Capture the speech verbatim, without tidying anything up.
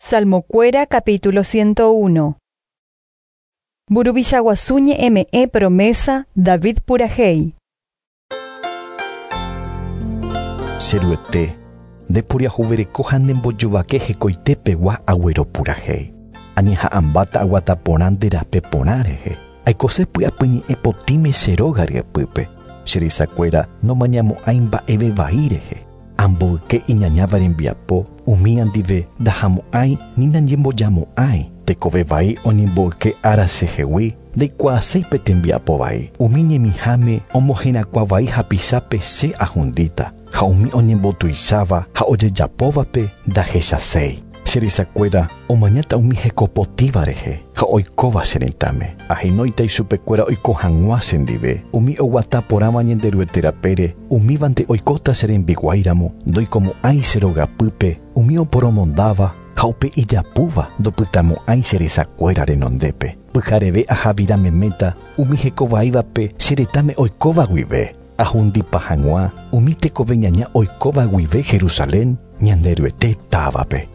Salmokuéra capítulo ciento uno. Mburuvicha guasu ñe'ẽme'ẽ promesa David purahéi. Che Ruete, nde poriahuvereko ha nembojovake hekoitepegua agueropurahéi. Añeha'ãmbáta aguata porã nde rape porã rehe. Aikose py'apyñe'ẽ potĩme che róga ryepýpe. Che resakuéra nomañamo'ãi mba'eve vai rehe. Amboyke iñañáva rembiapo, umi ndive ndahamo'ãi ni nañembojamo'ãi. Tekove vai oñemboyke ára chehegui, ndaikuaaséi tembiapo vai. Umi ñemiháme omoherakuã vai hapichápe che ahundíta, ha umi oñembotuicháva ha ojejapóvape ndahechaséi. Che resakuéra omañáta umi hekopotĩva rehe ha oikóva che retãme. Ahenóita ichupekuéra oiko hag̃ua chendive. Umi oguata porãva Ñanderuete rapére, umívante oikóta che rembiguáiramo, ndoikomo'ãi che rogapýpe, umi oporomondáva ha upe ijapúva ndopytamo'ãi che resakuéra renondépe. Pyhareve ahavira meméta umi hekovaívape che retãme oikóva guive. Ahundipa hag̃ua umi tekove ñaña oikóva guive Jerusalén Ñanderuete távape.